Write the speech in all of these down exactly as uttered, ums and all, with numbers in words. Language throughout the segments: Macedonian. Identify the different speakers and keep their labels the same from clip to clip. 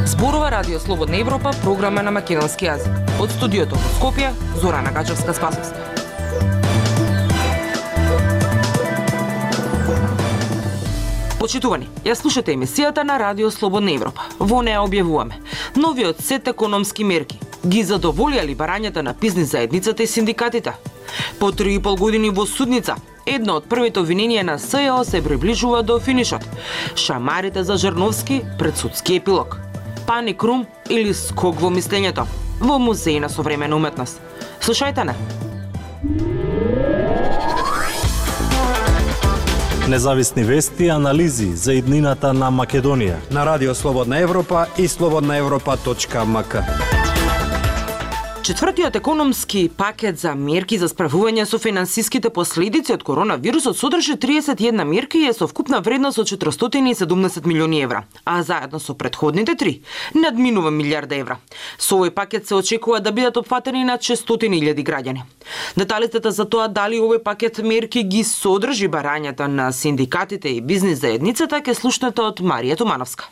Speaker 1: Зборува Радио Слободна Европа, програма на македонски јазик. Од студиото во Скопје, Зорана Гачевска-Спасовска. Почитувани, ја слушате емисијата на Радио Слободна Европа. Во неа објавуваме новиот сет економски мерки. Ги задоволија ли барањата на бизнис заедницата и синдикатите? По три и пол години во судница, едно од првите обвиненија на СЈО се приближува до финишот. Шамарите за Жерновски пред судски епилог. Паник рум или скок во мислењето во Музеј на современа уметност. Слушајте не.
Speaker 2: Независни вести и анализи за иднината на Македонија
Speaker 3: на Радио Слободна Европа и слободна европа точка ем ка.
Speaker 1: Четвртиот економски пакет за мерки за справување со финансиските последици од коронавирусот содржи триесет и една мерки и е со вкупна вредност од четиристотини и седумдесет милиони евра, а заедно со претходните три надминува милијарда евра. Со овој пакет се очекува да бидат опфатени над шестстотини илјади граѓани. Деталите за тоа дали овој пакет мерки ги содржи барањата на синдикатите и бизнис заедницата ќе слушнете од Марија Тумановска.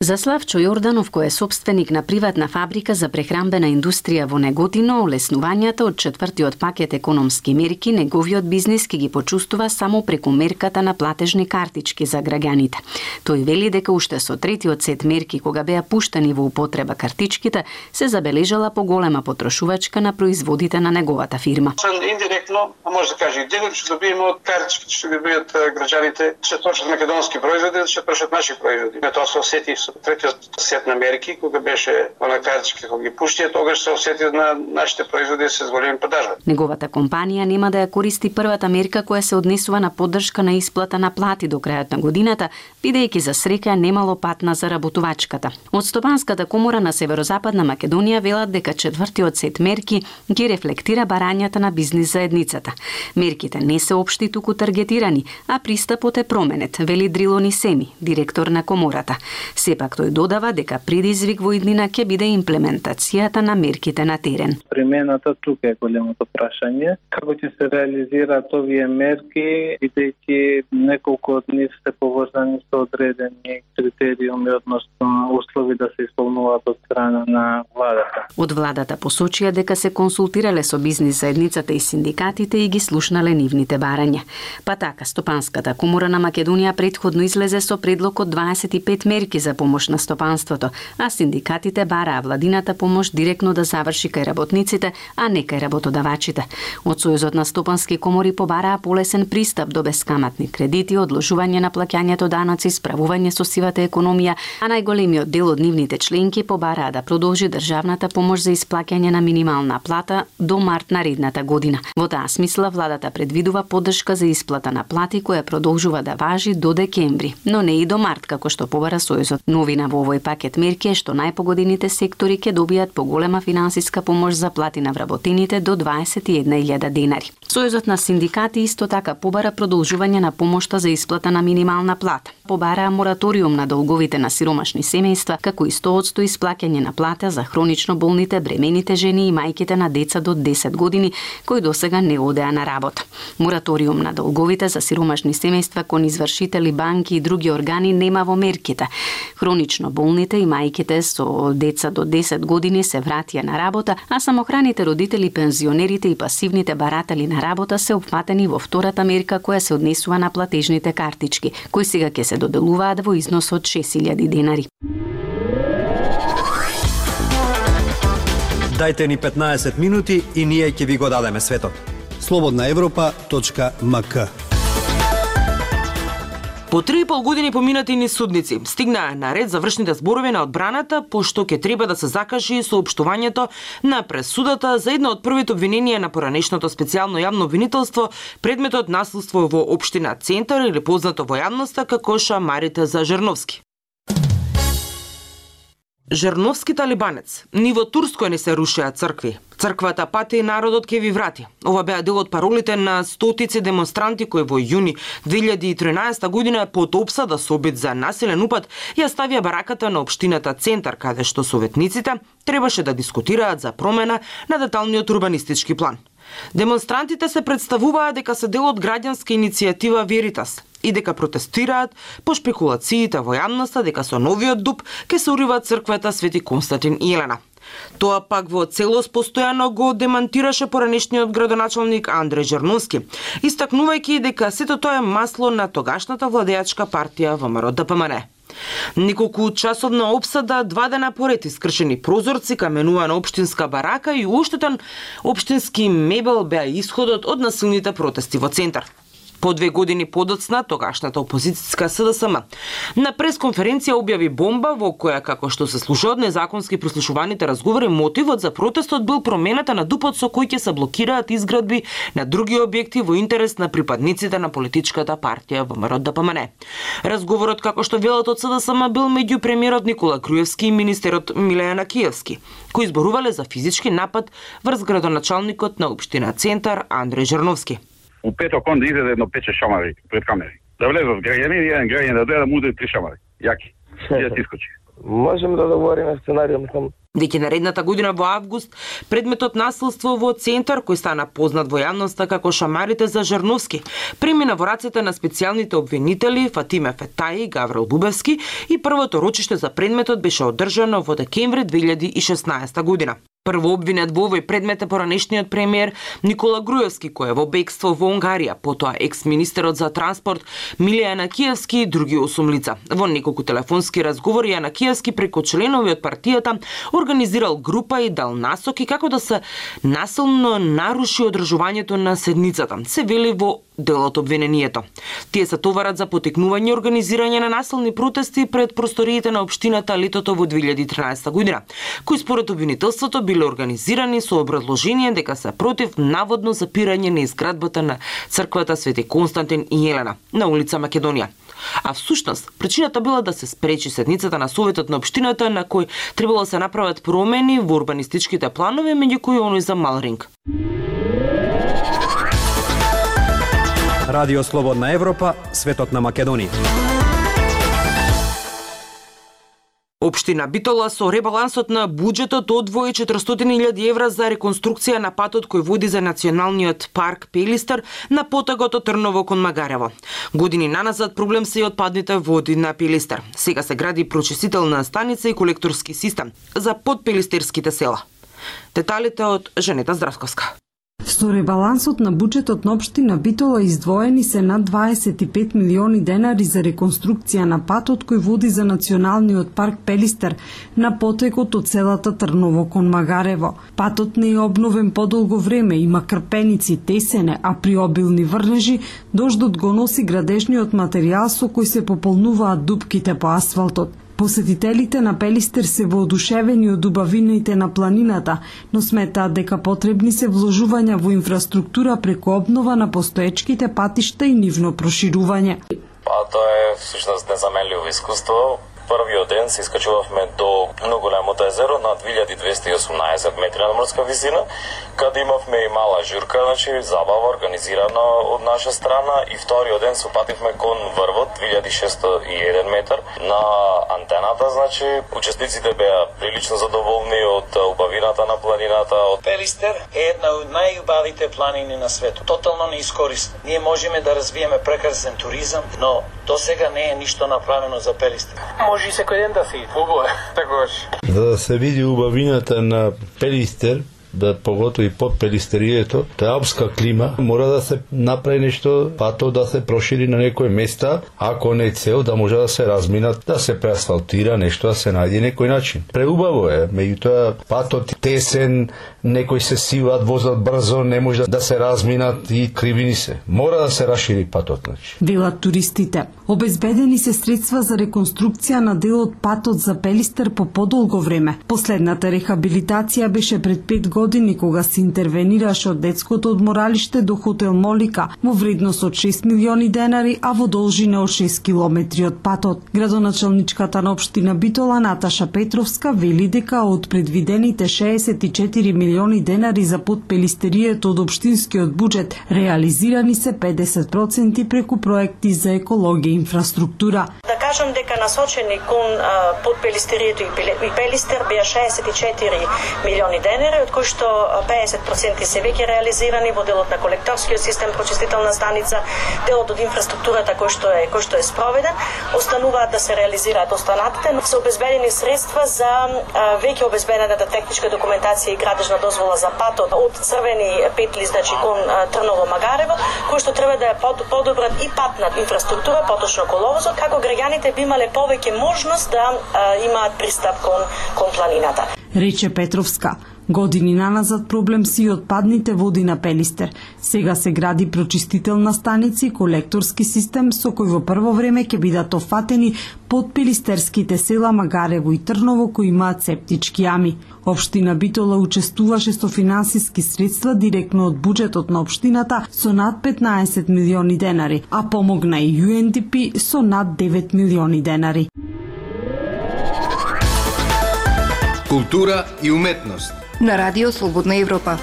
Speaker 4: За Славчо Јорданов, кој е собственик на приватна фабрика за прехрамбена индустрија во Неготино, олеснувањата од четвртиот пакет економски мерки неговиот бизнис ќе ги почувствува само преку мерката на платежни картички за граѓаните. Тој вели дека уште со третиот сет мерки, кога беа пуштени во употреба картичките, се забележала поголема потрошувачка на производите на неговата фирма.
Speaker 5: Индиректно, а може да каже и директно, што добиеме од картичките што ги добијат граѓаните, ќе трошат македонски производи, ќе трошат наши производи. Тоа се осети со третиот сет на мерки, кога беше она картички кога ги пуштија, тогаш се осети на нашите производи се зголеми продажба.
Speaker 4: Неговата компанија нема да ја користи првата мерка која се однесува на поддршка на исплата на плати до крајот на годината, бидејќи за среќа немало пат на заработувачката. Од Стопанската комора на Северозападна Македонија велат дека четвртиот сет мерки ги рефлектира барањата на бизнис заедницата. Мерките не се општи, туку таргетирани, а пристапот е променет, вели Дрилони Семи, директор на комората. Сепак тој додава дека предизвик во иднина ќе биде имплементацијата на мерките на терен.
Speaker 6: Примената тука е големото прашање. Како ќе се реализираат овие мерки, бидејќи неколку од нив се поврзани со одредени критериуми, односно услови да се исполнуваат од страна на владата.
Speaker 4: Од владата посочија дека се консултирале со бизнис заедницата и синдикатите и ги слушнале нивните барања. Па така, Стопанската комора на Македонија претходно излезе со предлог од дваесет и пет мерки за помош на стопанството, а синдикатите бараа владината помош директно да заврши кај работниците, а не кај работодавачите. Од Сојузот на стопански комори побараа полесен пристап до бескаматни кредити, одложување на плаќањето даноци, справување со сивата економија, а најголемиот дел од нивните членки побараа да продолжи државната помош за исплаќање на минимална плата до март наредната година. Во таа смисла владата предвидува поддршка за исплата на плати која продолжува да важи до декември, но не и до март како што побара Сојузот. Новина во овој пакет мерки е што најпогодените сектори ќе добијат поголема финансиска помош за плати на вработените до дваесет и една илјада денари. Сојузот на синдикати исто така побара продолжување на помошта за исплата на минимална плата. Побараа мораториум на долговите на сиромашни семејства, како и сто одсто исплаќање на плата за хронично болните, бремените жени и мајките на деца до десет години кои досега не одеа на работа. Мораториум на долговите за сиромашни семејства кон извршители, банки и други органи нема во мерките. Хронично болните и мајките со деца до десет години се вратија на работа, а самохраните родители, пензионерите и пасивните баратели на работа се опфатени во втората мерка која се однесува на платежните картички, кои сега ќе се доделуваат во износ од шест илјади денари.
Speaker 3: Дајте ни петнаесет минути и ние ќе ви го дадеме светот. слободна европа точка ем ка.
Speaker 1: По три и пол години поминати низ судници, стигнаа на ред завршните зборови на одбраната, пошто ќе треба да се закажи соопштувањето на пресудата за едно од првите обвиненија на поранешното специјално јавно обвинителство, предметот наследство во општина Центар или познато во јавноста како шамарите за Жерновски. Жерновски талибанец, ни во Турској не се рушеа цркви. Црквата пати и народот ке ви врати. Ова беа дел од паролите на стотици демонстранти кои во јуни две илјади и тринаесета година под опсада со обид за насилен упад ја ставија бараката на општината Центар, каде што советниците требаше да дискутираат за промена на деталниот урбанистички план. Демонстрантите се представуваат дека се дел од граѓанска иницијатива Веритас и дека протестираат по шпекулациите во јавноста дека со новиот дуб ке се урива црквата Свети Константин и Елена. Тоа пак во целост постојано го демантираше поранешниот градоначалник Андреј Жерновски, истакнувајќи дека сето тоа е масло на тогашната владеачка партија ВМРО Д П М Н. Неколку часовна опсада, два дена поред искршени прозорци, каменувана општинска барака и уштетен општински мебел беа исходот од насилните протести во Центар. По две години подоцна, тогашната опозицијска С Д С М на пресконференција објави бомба во која, како што се слуша од незаконски прислушуваните разговори, мотивот за протестот бил промената на дупот со кој ќе се блокираат изградби на други објекти во интерес на припадниците на политичката партија ВМРО Д П М Н. Разговорот, како што велат од С Д С М, бил меѓу премиерот Никола Груевски и министерот Милеја Накиевски, кои зборувале за физички напад врз градоначалникот на општина Центар Андреј Жерновски.
Speaker 7: У петок он да изеде едно пече шамари пред камери. Да влезат граѓани и еден граѓан да дојде да му удари три шамари. Јаки. И да се искочи.
Speaker 8: Можеме да договориме сценарио, мислам.
Speaker 1: Деки наредната година во август предметот насилство во Центар, кој стана познат во јавноста како шамарите за Жерновски, премина во рацете на специјалните обвинители Фатиме Фетаји и Гаврил Бубевски и првото рочиште за предметот беше одржано во декември две илјади и шеснаесета година. Прво обвинет во овој предмет е поранешниот премиер Никола Груевски, кој е во бегство во Унгарија, потоа екс-министерот за транспорт Милеја Јанакиевски и други осум лица. Во неколку телефонски разговори Јанакиевски преку членови од партијата организирал група и дал насоки како да се насилно наруши одржувањето на седницата, се вели во делот обвинението. Тие се товарат за потекнување и организирање на насилни протести пред просториите на општината летото во две илјади и тринаесета година, кои според обвинителството биле организирани со образложение дека се против наводно запирање на изградбата на црквата Свети Константин и Елена на улица Македонија. А всушност, причината била да се спречи седницата на Советот на општината на кој требало да се направат промени во урбанистичките планови, меѓу кои оној за Малринг.
Speaker 3: Радио Слободна Европа, светот на Македонија.
Speaker 1: Општина Битола со ребалансот на буџетот одвои четиристотини илјади евра за реконструкција на патот кој води за националниот парк Пелистер на потегот од Трново кон Магарево. Години наназад проблем се и отпадните води на Пелистер. Сега се гради прочистителна станица и колекторски систем за подпелистерските села. Деталите од Женета Здравковска.
Speaker 9: Со ребалансот на буџетот на општина Битола издвоени се над дваесет и пет милиони денари за реконструкција на патот кој води за националниот парк Пелистер на потекот од селата Трново кон Магарево. Патот не е обновен подолго време, има крпеници, тесене, а при обилни врнежи дождот го носи градежниот материјал со кој се пополнуваат дупките по асфалтот. Посетителите на Пелистер се воодушевени од убавините на планината, но сметаат дека потребни се вложувања во инфраструктура преку обнова на постоечките патишта и нивно проширување.
Speaker 10: Па тоа е всушност незаменливо искуство. Првиот ден се искачувавме до многу големото езеро на две илјади двесте и осумнаесет метри надморска висина, каде имавме и мала журка, значи забава организирана од наша страна, и вториот ден се упативме кон врвот две илјади шесто и еден метар на антената, значи учесниците беа прилично задоволни од убавината на планината.
Speaker 11: Пелистер е една од најубавите планини на светот, тотално неискористена. Ние можеме да развиеме прекрасен туризам, но до сега не е ништо направено за Пелистер. Може и секој ден да се иде. Убаво е, такош.
Speaker 12: За да се види убавината на Пелистер, да поготови под Пелистерието, тоа е алпска клима, мора да се направи нешто, патот да се прошири на некои места, ако не е цел да може да се разминат, да се преасфалтира нешто, да се најде некој начин. Преубаво е, меѓутоа патот тесен, некои се сиват, возат брзо, не може да се разминат и кривини се. Мора да се расшири патот, значи.
Speaker 9: Велат туристите. Обезбедени се средства за реконструкција на дел од патот за Пелистер по подолго време. Последната рехабилитација беше пред пет години години кога се интервенираше од детското одморалиште до хотел Молика во вредност од шест милиони денари, а во должина од шест километри од патот. Градоначалничката на општина Битола Наташа Петровска вели дека од предвидените шеесет и четири милиони денари за подпелистерието од општинскиот буџет, реализирани се педесет проценти преку проекти за екологија и инфраструктура.
Speaker 13: Да кажам дека насочени кон подпелистерието и пелистер беа шеесет и четири милиони денари, од кои што педесет проценти се веќе реализирани во делот на колекторскиот систем, прочистителна станица, делот од инфраструктурата кој што е кој што е спроведен, остануваат да се реализираат останатите, но се обезбедени средства за веќе обезбедената техничка документација и градежна дозвола за патот од црвени петли, значи кон Трново Магарево, кој што треба да ја подобрат и патна инфраструктура, поточно коловозот, како граѓаните би имале повеќе можност да имаат пристап кон кон планината.
Speaker 9: Рече Петровска. Години наназад проблем си отпадните води на Пелистер. Сега се гради прочистителна станица и колекторски систем со кој во прво време ќе бидат офатени под пелистерските села Магарево и Трново кои имаат септички јами. Општина Битола учествуваше со финансиски средства директно од буџетот на општината со над петнаесет милиони денари, а помогна и Ю Ен Ди Пи со над девет милиони денари.
Speaker 14: Култура и уметност
Speaker 15: на Радио Слободна Европа.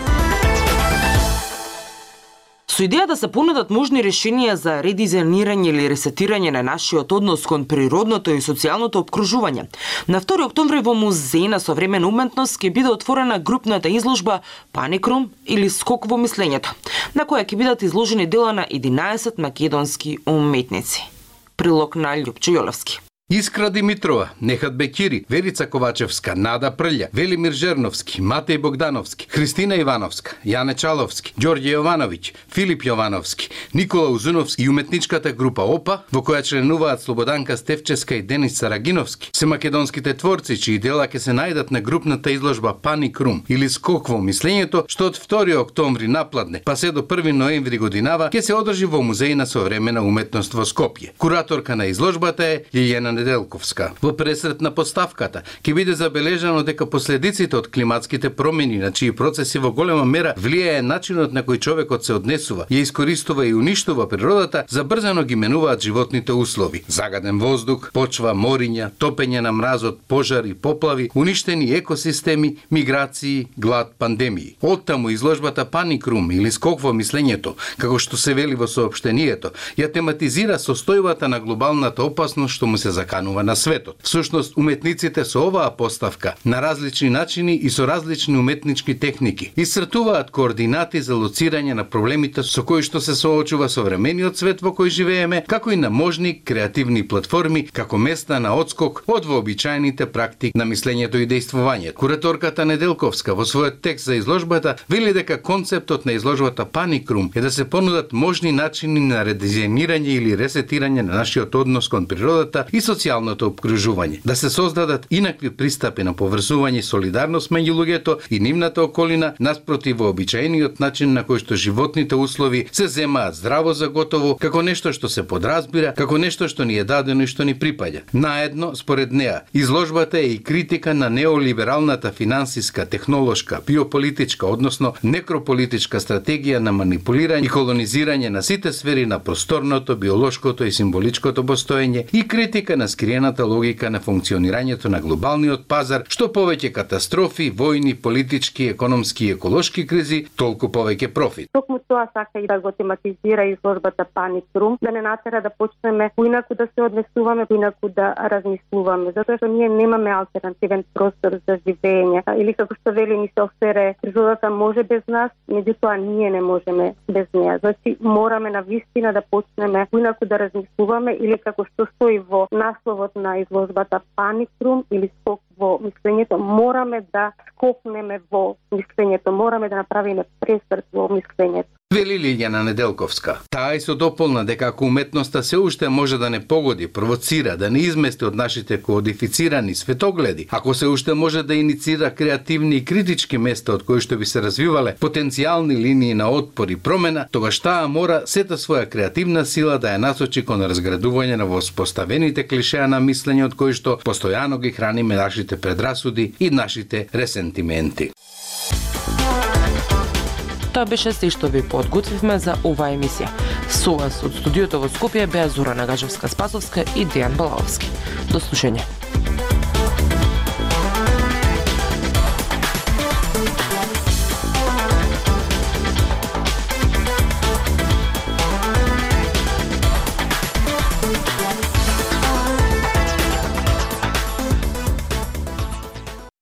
Speaker 1: Со идеја да се понудат можни решенија за редизајнирање или ресетирање на нашиот однос кон природното и социјалното обкружување, на втори октомври во Музеј на современа уметност ќе биде отворена групната изложба Паник Рум или Скок во мислењето, на која ќе бидат изложени дела на единаесет македонски уметници. Прилог на Љупчо Јолевски.
Speaker 14: Искра Димитрова, Нехат Бекири, Верица Ковачевска, Нада Прља, Велимир Жерновски, Матеј Богдановски, Христина Ивановска, Јане Чаловски, Ѓорѓе Јовановиќ, Филип Јовановски, Никола Узуновски и уметничката група ОПА, во која членуваат Слободанка Стефческа и Денис Сарагиновски, се македонските творци чии дела ќе се најдат на групната изложба Паник Рум или Скок во мислењето, што од втори октомври напладне, па се до први ноември годинава ќе се одржи во Музеј на современа уметност во Скопје. Кураторка на изложбата е Лиљана Неделковска. Во пресрет на поставката ќе биде забележано дека последиците од климатските промени, на чии процеси во голема мера влијае начинот на кој човекот се однесува, ја искористува и уништува природата, забрзано ги менуваат животните услови. Загаден воздух, почва, мориња, топење на мразот, пожари, поплави, уништени екосистеми, миграции, глад, пандемии. Оттаму изложбата Паник Рум или Скок во мислењето, како што се вели во соопштението, ја тематизира состојбата на глобалната опасност што му се канува на светот. Всушност, уметниците со оваа поставка на различни начини и со различни уметнички техники исцртуваат координати за лоцирање на проблемите со кои што се соочува современиот свет во кој живееме, како и на можни креативни платформи како места на одскок од вообичаените практики на мислењето и дејствувањето. Кураторката Неделковска во својот текст за изложбата вели дека концептот на изложбата Паник Рум е да се понудат можни начини на редизајнирање или ресетирање на нашиот однос кон природата и социјалното обкружување, да се создадат инакви пристапи на поврзување и солидарност меѓу луѓето и нивната околина наспроти вообичаениот начин на кој што животните услови се земаат здраво за готово, како нешто што се подразбира, како нешто што ни е дадено и што ни припаѓа. Наедно, според неа, изложбата е и критика на неолибералната финансиска, технолошка, биополитичка, односно некрополитичка стратегија на манипулирање и колонизирање на сите сфери на просторното, биолошкото и символичкото постоење и критика на скриената логика на функционирањето на глобалниот пазар, што повеќе катастрофи, војни, политички, економски и еколошки кризи, толку повеќе профит.
Speaker 16: Токму тоа сака и да го тематизира изложбата Паник Рум, да не натера да почнеме поинаку да се однесуваме, поинаку да размислуваме, затоа што ние немаме алтернативен простор за живење. Или како што вели ни се офере, природата може без нас, меѓутоа ние не можеме без неа. Значи мораме навистина да почнеме поинаку да размислуваме, или како што стои во насловот на изложбата Паник Рум или Скок во мислењето, мораме да скокнеме во мислењето, мораме да направиме пресврт во мислењето.
Speaker 14: Вели Лиљана Неделковска. Таа и со дополна дека ако уметноста се уште може да не погоди, провоцира, да не измести од нашите кодифицирани светогледи, ако се уште може да иницира креативни и критички места од кои што би се развивале потенцијални линии на отпор и промена, тогаш таа мора сета своја креативна сила да ја насочи кон разградување на воспоставените клишеа на мислење од кои што постојано ги храниме нашите предрасуди и нашите ресентименти.
Speaker 1: Тоа беше се што ви подготвивме за оваа емисија. Со вас од студиото во Скопје беа Зора Нагажевска-Спасовска и Дејан Балаовски. До слушање.